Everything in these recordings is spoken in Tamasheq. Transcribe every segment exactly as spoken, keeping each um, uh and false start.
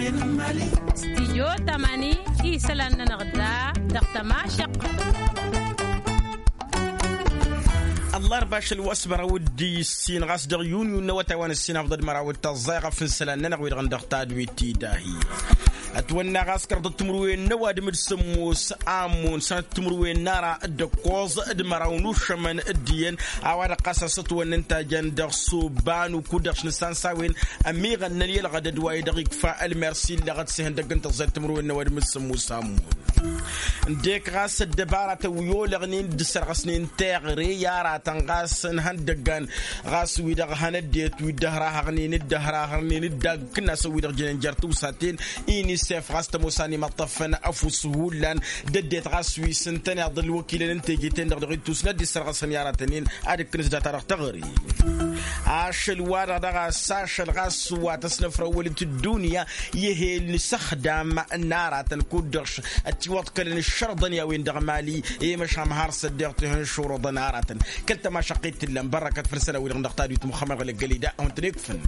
Stijyo tamani isălan-nănăɣ da dăɣ-tămašăq. Ăllarba ašăl wa s-măraw d-issin ɣas dăɣ-yunyu n-awătay wa n-issin afḍăd măraw d-tăẓẓay ɣef n-isălan-nănăɣ wi-dăɣ n-dăɣ tadwit-i dahi. Ătwănna ɣas kăraḍăt timǝrwen n-ăwadǝm d-sǝmmos amun sănăt timǝrwen n-ara d-ǝkkoẓ d-măraw n-ušămăn d-iyyăn a-wa-dăɣ ɣas a-s ătwănnăn tajăn dăɣ-soba n-uku-dăɣ š-nǝssan s-a-wen ămiɣănnăn i-ălɣădăd wa i-dăɣ ikfa ălmersi ǝlleɣăt s-ihăndăgg n-tăẓẓayt timǝrwen n-ăwadǝm d-sǝmmos amun. Ǝndek ɣas ăddăbaratăn wi olăɣnen d-ǝssărɣăsnen teɣăre i-aratăn ɣas n-ihăndăggan ɣas wi-dăɣ hăn ăddinăt wi dd-ăhrahăɣnen dd-ăhrahărnen dd-agg kǝnnasăn wi-dăɣ jănen jer-tiwsaten. Inisef ɣas tămoos a n-imăṭṭăfăn ăfuss hullan d-ăddinăt ɣas wi s-ǝntăneḍ ălwăkilăn n-teje-ten-dăɣ dăɣ-ittus n-ad-dd-issărɣăsăn i-aratăn-in ad-ǝkkǝnǝs data-dăɣ teɣăre. Ašăl-wa-dăɣ daɣ a-s ašăl ɣas wa tăsnăfrăwăl-t ăddunya i-ehel n-isăxdam n-aratăn kud-dăɣ ătiwăḍkălăn ǝššărăḍăn i-a-wen-dăɣ mali i-măšan har s-ăddiɣ tihǝnšurăḍăn aratăn. Kăl-tămašăqqit t-ǝllan bărrăkăt făll-isălan-wi-dăɣ n-dăɣ tadwit muxămmăd ɣǝlăggăl-i da a-wen-tăn-ikfǝn.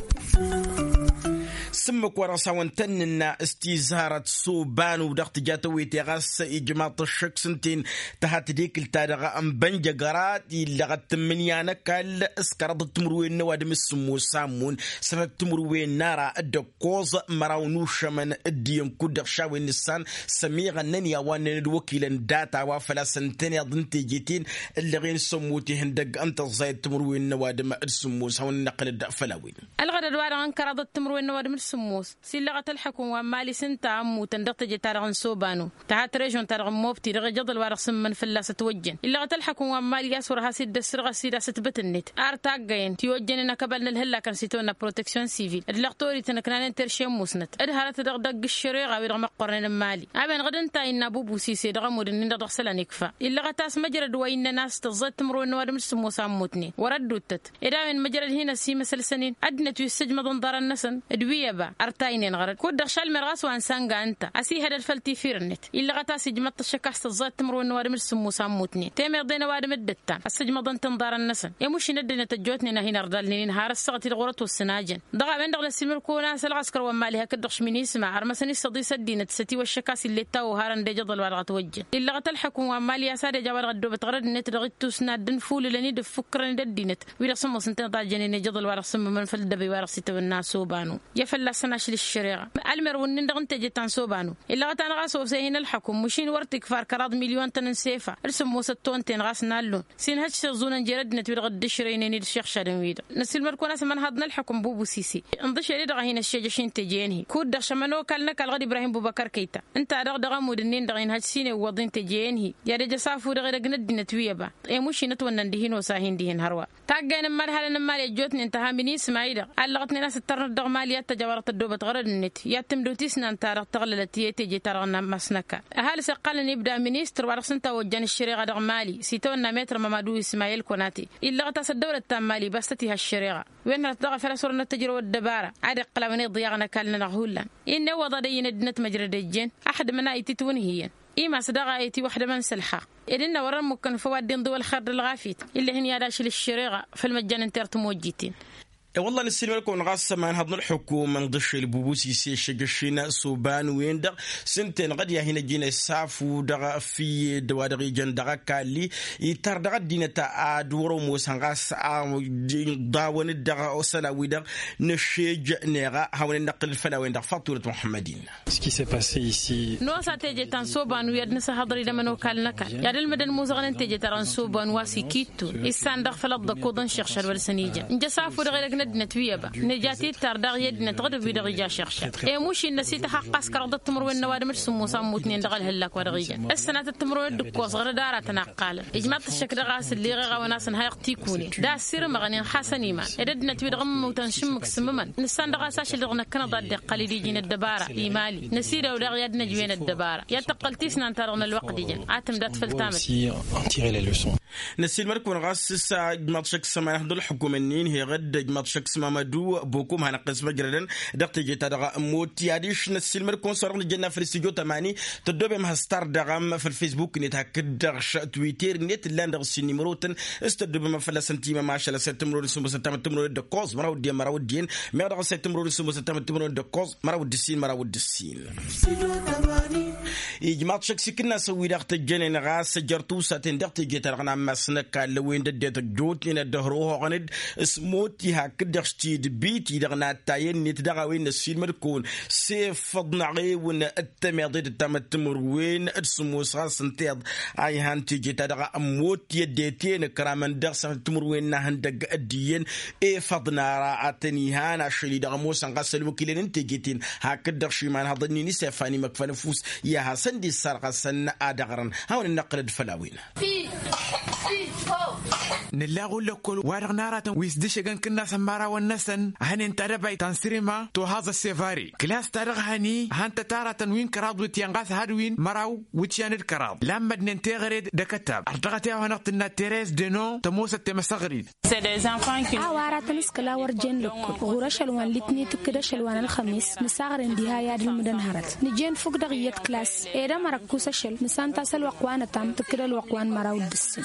S-ǝmmǝk-wa-dăɣ s-a-wen tăn-nǝnna s-tizharăt s-oba n-u-dăɣ tǝja tawete ɣas ijmaḍ-t ăššăk s-ǝnta-en tǝha tadekǝlt-ta-dăɣ n-bănjăgăra illăɣăt tǝmmǝnǝya n-ăkall s-kăraḍăt timǝrwen n-ăwadǝm s-sǝmmos s-ammǝn sănăt timǝrwen n-ara d-ăkkoẓ măraw n-ušămăn d-iyyăn kud-dăɣ šawen nǝssan s-ămiɣănnăn i-a-wa ǝnnăn d-wăkilăn data a-wa făl-a-s ǝntăneḍ n-teje-ten ǝllăɣen s-ămmut ihăndăgg n-tăẓẓayăt timǝrwen n-ăwadǝm d-sǝmmos hawăn-in-iqqǝlăd făll-a-wen. Ălɣădăd-wa-dăɣ n-kăraḍăt timǝrwen n-ăwadǝm d-sǝmmos s-illăɣăt ălḥăkum wa n-mali s-ǝnta a ǝmmutăn dăɣ-teje-ta-dăɣ n-sobanu tăhat režion-ta-dăɣ n-mobti dăɣ-ejăḍăl-wa-dăɣ s-ǝmmǝn fălla-s ătwăjjăn illăɣăt ălḥăkum wa n-mali a-s wăr has-dd-ăssărɣăs-dd a-s ătbătnet ar taggăyăn tiwăjjănen akăbal n-ălhǝllakăn s-itawănna proteksyon sivil d-lăxtorităn ǝknanen terše n-musnăt d-hărăt dăɣ-dăgg ǝššăreɣa-wi-dăɣ măqqornen n-mali a-wen-dăɣ d-ǝnta a innă bubusis i-dăɣ ămud-ǝnnin-dăɣ dăɣ-isălan ikfa illăɣăt a-s măjrăd wa innăn a-s tăẓẓayăt timǝrwen n-ăwadǝm d-sǝmmos a ǝmmutnen wăr-ădduuttăt ed a-wen măjrăd hin-ăsimăsălsăn-in ăddinăt wi ǝssǝjmăḍăn ḍarăn-năsăn d-wi ăba ărtaynen ɣărăd kud-dăɣ šalmer ɣas wa n-sănga ǝnta ăsihădăd făll-tifir-net illăɣăt a-s ijmăḍ-t ăššăk a-s tăẓẓayăt timǝrwen n-ăwadǝm d-sǝmmos a ǝmmutnen temeḍe n-ăwadǝm dd-ǝttan ăssǝjmăḍăn-tăn ḍarăn-năsăn i-mušin ăddinăt ăjjootnen a hin-ărḍalnen-in har ăssaɣăt-i-dăɣ wăr-ătwăssǝn a jăn dăɣ-a-wen-dăɣ n-ăsimǝrkăwăn a-s ălɣăskăr wa n-mali hakd-dăɣ š-minisma ărmăsăn-issăḍis ăddinăt s-ătiwăššăk a-s ill'-e ǝttawăw harăn d-ejăḍăl-wa-dăɣ ătwăjjăn illăɣăt ălḥăkum wa n-mali a-s ad-ej a-wa-dăɣ ăddoobăt ɣărăd-net dăɣ-ittus n-ad-dd-infulǝlăn-dd ǝffukkărăn-dd ăddinăt wi-dăɣ s-ămoosăn-ten-dd a jănen ejăḍăl-wa-dăɣ s-ǝmmǝmăn făll-dd-ăbăy wa-dăɣ s-itawănna s-obanu i-ad-fălla-săn ašăl ǝššăreɣa. Ălmer wǝnnin-dăɣ n-teje ta n-sobanu illăɣăt-anăɣ a-s ofse hin-ălḥăkum mašin wăr t-ikfar kăraḍ milyon-tăn n-sefa d-sǝmmosăt tonten ɣas n-allun s-inhăj s-iẓẓunăn jer-ăddinăt wi-dăɣ dd-ǝšrăynen-dd iššăɣšadăn-wi-dăɣ n-asǝlmăd-kăwăn a-s ămănhaḍ n-ălḥăkum bubusise ǝnḍǝšel-i-dăɣ a hin-ăššejăš i n-teje-en-hi kud-dăɣ šămăn okal n-ăkall ɣǝd ibrahim bubăkăr kăyta ǝnta-dăɣ dăɣ-ămud-ǝnnin-dăɣ inhăj s-inewwăḍ i n-teje-en-hi i-ad-ăj ăsafu dăɣ-edăgg n-ăddinăt wi ăba i-mušin ătwănnăn dihin osa hin-dihin hărwa. Taggay n-immăḍhalăn n-mali ăjjootnen tăha minisma-i-dăɣ allăɣătnen a-s ǝttărnăt dăɣ-mali i-ad-tăj a-wa-dăɣ tăddoobăt ɣărăd-net i-ad-tǝmdut isnan-ta-dăɣ tăɣlălăt i-teje-ta-dăɣ n-amasnăka. Ăhalǝs iqqalăn ibda ministăr wa dăɣ-s ǝnta a ojjan ǝššăreɣa dăɣ-mali s-itawănna metr mamadu ismayel konate illăɣăt a-s ăddăwlăt ta n-mali bas tăt-iha ǝššăreɣa. Wen hărăt daɣ a făl a-s wăr-năt-ăjrăw ăddăbara ad-iqqǝl a-wen iḍyaɣăn ăkall-nănăɣ hullan. Innă iwwăḍ ad-ăyyǝn ăddinăt măjrăd ejjen. Ăxdǝmăn a ititwǝnhǝyăn imas daɣ a itiwăxdămăn s-ălxaqq ed ǝnnă wăr-ămmukkăn făw ad-dd-inḍǝw ălxer d-ălɣafyăt. Ill'-e hin-i-ad-ašǝl ǝššăreɣa făll-măjjan n-tertǝmojjiten. E-wălla nǝssilmăd-kăwăn ɣas ămanhăḍ n-ălḥukum ǝnḍǝšel bubus-i s-eššăjăš-in s-oban-wen-dăɣ s-ǝnta-enăɣ ad-i-ad-hin-ăjjǝyăn ăssafu dăɣ-fǝyyed wa dăɣ-ijăn dăɣ-ăkall-i. Itar dăɣ-ăddinăt ad-wăr-ămoosăn ɣas a dd-iḍawăn-dd dăɣ-isălan-wi-dăɣ nǝššej neɣ a hawăn-in-năqqǝlăd făll-a-wen-dăɣ faḍt turăt muḥămmăd-in. Nos a teje ta n-soban wi ad-nǝsǝhhăḍăr idăm ănokal n-ăkall i-ad-ǝlmǝdăn imuzăɣăn n-teje-ta-dăɣ n-soban wa s-ikittun issan-dăɣ făll-ăḍḍăkuḍ n-išăɣšad wa dăr-săn ijăn nǝja asafu dăɣ-edăgg n-ăddinăt wi ăba nǝja titar daɣ i-ăddinăt ɣǝdǝb wi-dăɣ ija ašăɣšăr. Emuš innă s-ităxxaqqas kăraḍăt timǝrwen n-ăwadǝm d-sǝmmos a ǝmmutnen dăɣ-ălhǝllak wa dăɣ-ijăn ăssănatăt timǝrwen d-ǝkkoẓ ɣărăd aratăn a ǝqqalăn ijmaḍ-t ăššăk dăɣ-a-s ǝlleɣ eɣawăn-asăn ha iɣtikunen d-a ăssirǝmăɣnen xasăn iman ed ăddinăt wi-dăɣ ǝmmutăn šǝmmǝk s-ǝmmǝmăn nǝssan dăɣ-a-s ašăl-dăɣ năkkănăḍ ad-dd-iqqăl idiji n-ăddăbara. Imali năsidăw daɣ i-ad-năj wen ăddăbara i-ad-tăqqăl tisnant-ta-dăɣ n-ălwăqq d-ijăn ad-tǝmdat făll-tamăt. Năsilmăd-kăwăn ɣas s-a ijmaḍ šăkk s-ămanăt d-ălḥukum-ǝnnin heɣ-dd ijmaḍ. tăkk s-mamădu bokum hanăɣ-t s-măjrădăn dăɣ-teje-ta-dăɣ. Moti adiš năssiilmăd-kăwăn s-wa-dăɣ nǝjjănna făll-s tijo tămani tăddobem has-tardăɣăm făll-fesbuk-net hakd-dăɣ š-twitter-net ǝllan dăɣ-s ǝssin nimărotăn s-tăddobem fălla-săn timăm ašăl ăssay tǝmrăwăn s-ǝmmosăn tamăt tǝmrăwăn d-ǝkkoẓ măraw d-iyyăn măraw d-iyyăn meɣ dăɣ-ăssay tǝmrăwăn s-ǝmmosăn tamăt tǝmrăwăn d-ǝkkoẓ măraw d-ǝssin măraw d-ǝssin. Ijmaḍ šăkk s-ikǝnnasăn wi-dăɣ tăjjănen ɣas ăjjăr tusaten dăɣ-teje-ta-dăɣ n-ammas n-ăkall ăwwen d-ăddinăt ăjjootnen ad-dd-ăhrăwhăɣăn-dd s-moti hakd-dăɣ s-tidbit-i-dăɣ n-attay-net dăɣ-a-wen n-ăssiilmăd-kăwăn s-efăḍ n-aɣewăn d-tămeḍe d-ăttamăt timǝrwen d-sǝmmos ɣas ǝnta iḍ a ihan teje-ta-dăɣ ămmot i-ăddinăt i-inǝkramăn dăɣ-săn timǝrwen n-ahăndăgg d-iyyăn efăḍ n-ara ad-tăn-ihan ašăl-i-dăɣ ămoosăn ɣas ălwăkilăn n-teje-ten hakd-dăɣ šimanhăḍ-nin isefan imăkfăn ăfuss i-ad-hasăn-dd-issarɣăsăn ad-ăɣrăn. Hawăn-dd-năqqǝlăd făll-a-wen. Nǝllaɣ ullăkkol wa-dăɣ n-aratăn wi s-dd-ǝššǝgăn kǝnnasăn imărawăn-năsăn a hănen tadăbayt ta n-sirima tohaẓ ăssevare kǝlas-ta-dăɣ hăni hăn-tăt aratăn wi n-kăraḍ wǝtyan ɣas had-win măraw wǝtyan d-kăraḍ lammădnen teɣăre d-akătab ărdăɣăt i-a-wa hanăɣ-tǝnna terez deno tămoosăt temăsăɣrit. A-wa aratăn s-kăla wăr jen lăkkol ɣur-ašăl wa n-litni tǝkkǝd ašăl wa n-ălxămes nǝsaɣren diha i-ad-ǝlmǝdăn hărăt nǝjen fuk dăɣ-iyyăt klas ed ămăra ăkkus ašăl nǝsanta s-ălwăqq wa n-ătam tǝkkǝd ălwăqq wa n-măraw d-ǝssin.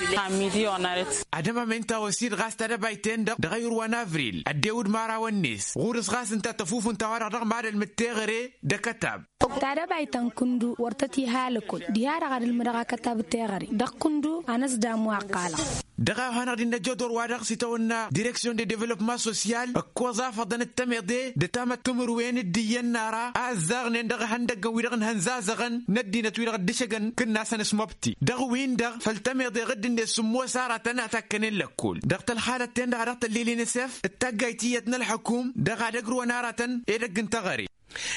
Ad-ămămen ta osid ɣas tadăbayt-en-dăɣ dăɣ-ayǝr wa n-avril ăddewǝd imărawăn-net ɣur-s ɣas ǝnta tăfufunta wa-dăɣ dăɣ-mad-ălmǝd teɣăre d-akătab. Tadăbayt ta n-kǝndu wăr tăt-iha lăkkol diha-dăɣ ad-ǝlmǝdăɣ akătab teɣăre dăɣ-kǝndu a năsdam wa ăqqalăɣ. Dăɣ-a hanăɣ-dd-innă jodor wa-dăɣ s-itawănna direksyon de developma sosyal ǝkkoẓ afăḍăn d-tămeḍe d-tamăt timǝrwen d-iyyăn n-ara a ǝzzaɣnen dăɣ-ihăndăggăn wi-dăɣ n-ihănzazăɣăn n-ăddinăt wi-dăɣ dd-ǝššăgăn kǝnnasăn s-mobti dăɣ-win-dăɣ făll-tămeḍe ɣǝdd-net sǝmmos aratăn a takkănen lăkkol dăɣ-tălxalăt-ten-dăɣ a dăɣ-tăllil n-s f d-taggayt iyyăt n-ălḥăkum dăɣ-ad-ăgrǝwăn aratăn edăgg n-teɣăre.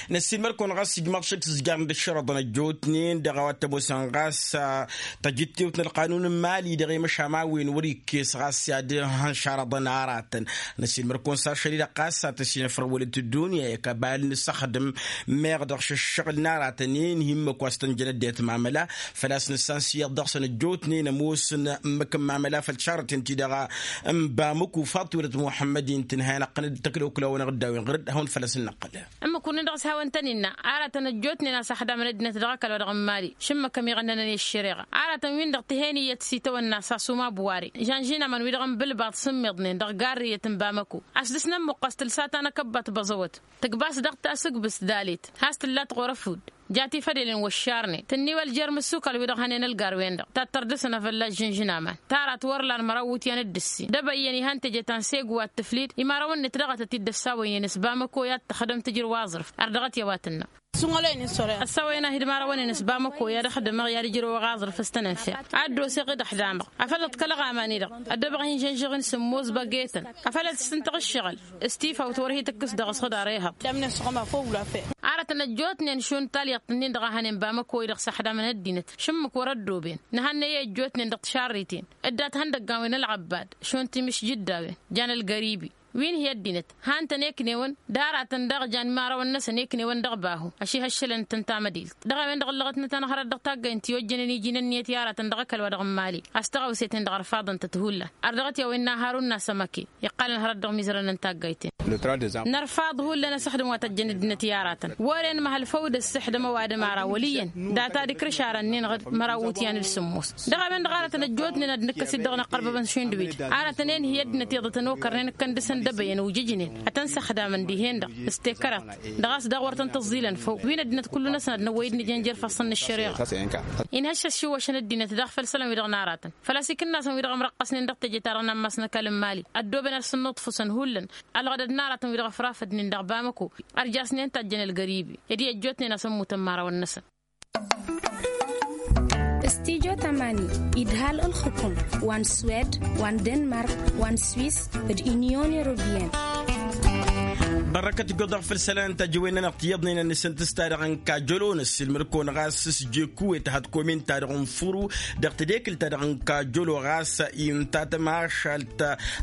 Năssiilmăd-kăwăn ɣas ijmaḍ šăkk s-ǝzjarăn d-ǝššărăḍăn ăjjootnen dăɣ-a-wa t-ămoosăn ɣas tăjjǝttewt n-ălqanun n-imali dăɣ-i măšan a-wen wăr-ikkes ɣas i-ad-hănšarăḍăn aratăn. Năssiilmăd-kăwăn s-ašăl-i-dăɣ ɣas a tăsinăfrăwălăt ăddunya i-kăbal n-ǝssăxdǝm meɣ dăɣ-šăššăɣǝl n-aratăn i-inhǝmmăk wa s-tăn-jăn ăddinăt mamăla făl-a-s nǝssan s-iyyăḍ dăɣ-săn ăjjootnen ămoosăn ǝmmǝk n-mamăla făll-šarăten-ti-dăɣ n-bamăko faḍt-welăt muḥămmăd-i n-tǝnhăyăn ăqqănăd tăkdăwkǝl-awăn ăɣ-dd-a-wen ɣǝr-dd ad-hawăn-făl-as-ǝnnăqqăl. Ǝmmǝk-wǝnnin-dăɣ s-hawăn-tăn-innă aratăn ăjjootnen a-s ăxdamăn ăddinăt dăɣ-ăkall wa dăɣ-n mali šǝmmǝk ămiɣănnănăn i-ăššăreɣa aratăn-win-dăɣ tǝhen iyyăt s-itawănna s-asuma buware žănžinamăn wi-dăɣ n-bǝlbaḍ s-ǝmmiḍnen dăɣ-garrǝyăt n-bamăko a-s dăɣ-s nămmuqqas tǝlsa ta n-akăbbat băẓăwăt tǝkbas dăɣ-tasǝgbǝst dalet has-tǝllat ɣur-ăfudd ja tifădelen wăššarnen tǝnniwăl jer-imǝssukal-wi-dăɣ hănen ălgar-wen-dăɣ tattăr dăr-săn afălla žǝnžǝn aman. Tarat wăr lan măraw iwǝtyan d-ǝssin d-ebăyyăn ihăn teje ta n-segu wa t-tǝflid imarăwăn-net dăɣ-tăt-dd-ăssawăynen s-bamăko i-ad-tăxdăm tǝjrǝw aẓrǝf. Ărdăɣăt i-a-wa tǝnnăm ăssawăyăn-ahi d-imarăwăn-net bamăko i-ad-ăxdǝmăɣ i-ad-ǝjrăwăɣ aẓrǝf s-tăn-ănfeɣ ad-dd-oseɣ i-dd-ăxdamăɣ afăl ǝḍkălăɣ aman-i-dăɣ ăddăbăɣ hin-žănžăɣ-in sǝmmos băggetăn afăl ad-sǝssǝntăɣ ǝššăɣǝl s-tifawt wăr hi-tǝkkǝs dăɣ-s ɣǝd arehăḍ. Aratăn ăjjootnen šund talyăḍt-ǝnnin-dăɣ a hănen bamăko-i-dăɣ s-ăxdamăn ăddinăt šǝmmǝk wăr-ăddooben nǝhănnăy i-ăjjootnen dăɣ-tišarriten dd-ad-hăndăggan wi n-ălɣăbbad šund timǝšjǝddawen jan ălgăribi wi n-hi-ăddinăt han-tăn eknewăn d-aratăn daɣ jan imărawăn-năsăn eknewăn dăɣ-bahu. Ašihăššălăn-tăn tamădilt dăɣ-a-wen-dăɣ ǝllăɣătnăt-anăɣ hărăt dăɣ-taggaynt ti ojjănen iji n-ǝnniyăt i-aratăn dăɣ-ăkall wa dăɣ-n mali a-s tăɣawse-ten-dăɣ ărfaḍăn-tăt hullan. Ărdăɣăt i-a-wen n-aharun n-asămăke iqqălăn hărăt dăɣ-imizărăn n-taggayt-en. Nărfaḍ hullan asǝxdǝm wa tăjjăn ăddinăt i-aratăn wăren măhăl făw d-ăssăxdăm ăwadǝm ara wăl' iyyăn data d-ikrǝšarăn-nin ɣǝd măraw iwǝtyan d-sǝmmos. Dăɣ-a-wen-dăɣ aratăn ăjjootnen ad-nǝkkăs-dd dăɣ-inăqqărbăbăn šund wi-dăɣ aratăn-en hi-ăddinăt iyyăḍ a tăn-okărnen ǝkkăn dăr-săn d-ebăyăn ojǝjnen ad-tăn-săxdamăn dihen-dăɣ s-tekăraḍt dăɣ-a-s daɣ wăr tăn-tǝẓẓilăn făw wi n-ăddinăt kullu-năsăn ad-năwwăy-dd nǝjăn jer-ifassăn n-ăššăreɣa. Inhăššăš iwwăšăn ăddinăt daɣ făll-isălan-wi-dăɣ n-aratăn făl-a-s ikǝnnasăn wi-dăɣ ămrăqqăsnen dăɣ-teje-ta-dăɣ n-ammas n-ăkall n-mali ăddooben ad-săn-nuṭfǝsăn hullan ălɣădăd n-aratăn wi-dăɣ ăfrafădnen dăɣ-bamăko. Ărjasnen tajjăn ălgăribi ed i-ăjjootnen a-s ămmutăn imărawăn-năsăn. Studyo tamani idhal ǝlxǝkum wa n-swed wa n-denmark wa n-swis d-inyon europeyăn. Ărrăkăt ijjoḍăɣ făll-isălan n-tajǝwen-nănăɣ tiyyăḍnen ănnăsăn tǝsta dăɣ-n kajălo n-ăssiilmăd-kăwăn ɣas s-jekku etăhăḍ komin-ta-dăɣ n-furu dăɣ-tedekǝlt-ta-dăɣ n-kajălo ɣas inta tămašalt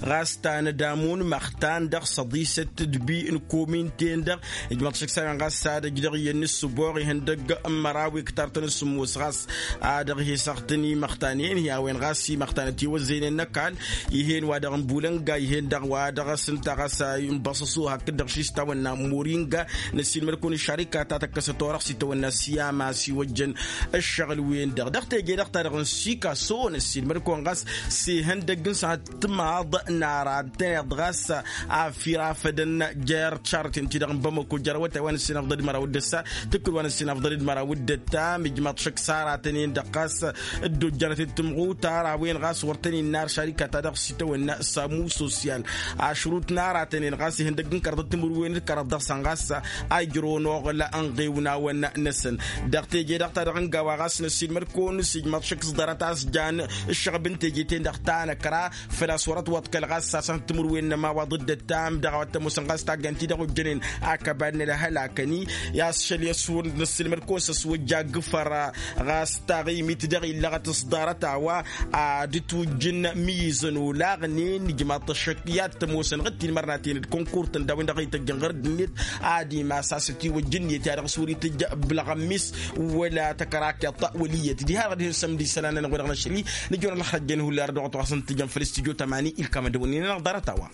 ɣas ta n-ădamun măxtan dăɣ-săḍisăt d-bi n-komin-ten-dăɣ. Ijmăḍ šăksawen ɣas ad-ăj dăɣ-iyyăn n-ǝssǝboɣ ihăndăg n-măraw iktart n-sǝmmos ɣas a dăɣ-hi-săɣtăn imăxtanen hi-a-wen ɣas imăxtanăt iwăzzăynen n-ăkall. Ih'-en wa dăɣ-n bulănga ih'-en dăɣ-wa dăɣ-s ǝnta ɣas a inbăṣăṣu hakd-dăɣ šis tawănna moringa. Năssiilmăd-kăwăn ǝššarika ta tăkkăsăt orăɣ s-itawănna s-i-ama s-iwăjjăn ǝššăɣǝl-wen-dăɣ dăɣ-teje-dăɣ-ta-dăɣ n-sikaso năssiilmăd-kăwăn ɣas s-ihăndăgg n-săhăt timaḍ n-ara tăneḍ ɣas afirafădăn jer-šarăten-ti-dăɣ n-bamăko jer-awătay wa năssinăfḍăd măraw d-ăssa tǝkkǝl wa năssinăfḍăd măraw d-ăttam ijmaḍ šăkk s-aratăn-en-dăɣ ɣas dd-ojjanăt d-timɣutar a-wen ɣas wăr tăn-innă ar šarika-ta-dăɣ s-itawănna samu sosyal ašrut n-aratăn-en ɣas ihăndăgg n-kărăḍăt timǝrwen d-kărăḍ dăɣ-săn ɣas a ijrăwăn oɣǝl ănɣewnawăn-năsăn. Dăɣ-teje-dăɣ-ta-dăɣ n-gawa ɣas năssiilmăd-kăwăn s-ijmaḍ šăkk s-ḍarăt a-s jan ǝššăɣb n-teje-ten-dăɣ ta năkra făl-a-s wăr-ătwăḍkăl ɣas a-s ad-tǝmǝrwen n-ămawaḍ d-ăttam dăɣ-a-wa t-ămoosăn ɣas taggant-i-dăɣ ojjănen akăbad n-ălhălakăn-i. I-a-s šăl i-ăswăr năssiilmăd-kăwăn s-ăswăjja agǝfăr ɣas taɣimit dăɣ-illăɣăt s-ḍarăt a-wa ad-dd-tujjǝn mizăn olaɣnen ijmaḍ-t ăššăk i-ad-t-ămoosăn ɣǝttin mărnaten d-kănkur-tăn d-a-wen-dăɣ ităjjăn ɣur-dd-net ad-imas a-s ătiwăjj ǝnniyăt i-ad-dăɣ-s wăr-itǝjj bǝlɣămmis wăla tăkărakeḍt wăl' iyyăt diha-dăɣ dihen sămdi isălan-nănăɣ wa dăɣ-năšli. Nǝjăwăn ălxăjjăn hullan dăɣ-tăɣasăn tǝjăn făll-studyo tămani ilkam ad-dăwănnin-anăɣ ḍarăt a-wa.